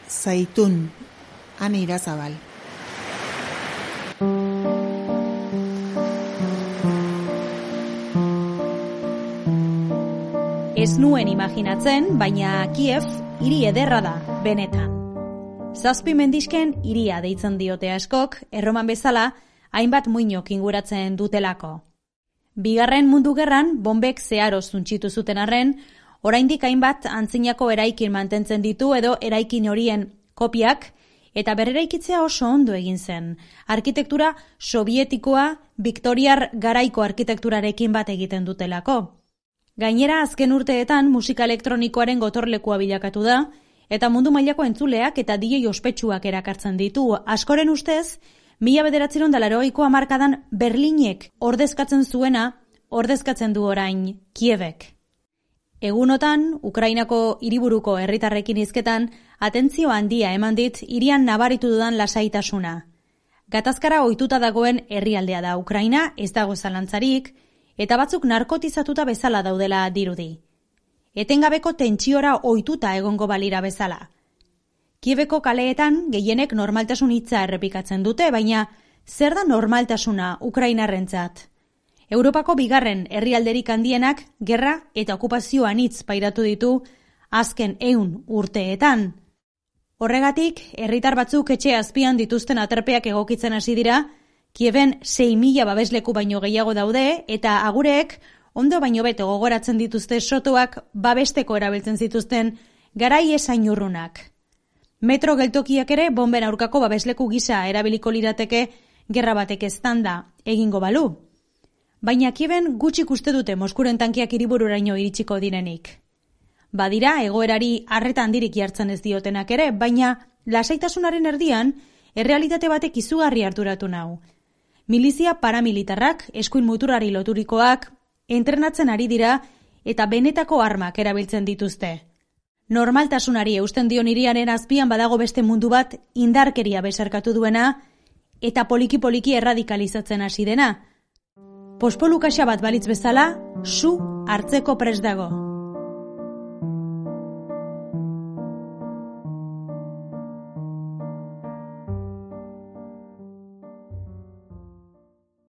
Zaitun, Ane Irazabal. Ez nuen imaginatzen, baina Kiev hiri ederra da, benetan. 7 mendixken hiria deitzen diote askok, Erroman bezala, hainbat muinok inguratzen dutelako. Bigarren Mundu Gerran, bombek zeharo zuntxitu zuten arren, oraindik hainbat antzinako eraikin mantentzen ditu edo eraikin horien kopiak, eta berreraikitzea oso ondo egin zen. Arkitektura sovietikoa, Viktoriar garaiko arkitekturarekin bat egiten dutelako. Gainera, azken urteetan musika elektronikoaren gotorlekua bilakatu da, eta mundu mailako entzuleak eta DJ ospetsuak erakartzen ditu. Askoren ustez, 1980ko hamarkadan Berlinek ordezkatzen zuena, ordezkatzen du orain Kievek. Egunotan, Ukrainako hiriburuko herritarrekin hizketan, atentzio handia eman dit hirian nabaritu dudan lasaitasuna. Gatazkara ohituta dagoen herrialdea da Ukraina, ez dago zalantzarik, eta batzuk narkotizatuta bezala daudela dirudi. Etengabeko tentsiora ohituta egongo balira bezala. Kieveko kaleetan gehienek normaltasun hitza errepikatzen dute, baina zer da normaltasuna Ukrainarrentzat? Europako bigarren herrialderik handienak gerra eta okupazio anitz pairatu ditu azken 100 urteetan. Horregatik, herritar batzuk etxe azpian dituzten aterpeak egokitzen hasi dira, Kieven 6.000 babesleku baino gehiago daude, eta agureek ondo baino beto gogoratzen dituzte sotoak babesteko erabiltzen zituzten garai esain urrunak. Metro geltokiak ere bomben aurkako babesleku gisa erabiliko lirateke gerra batek eztanda egingo balu. Baina Kieven gutxik uste dute Moskuren tankiak hiribururaino iritsiko direnik. Badira egoerari arreta handirik jartzen ez diotenak ere, baina lasaitasunaren erdian errealitate batek izugarri harturatu nau. Milizia paramilitarrak, eskuin muturari loturikoak, entrenatzen ari dira eta benetako armak erabiltzen dituzte. Normaltasunari eusten dion hiriaren azpian badago beste mundu bat indarkeria besarkatu duena eta poliki-poliki erradikalizatzen hasi dena. Pospolukaxa bat balitz bezala, su hartzeko prest dago.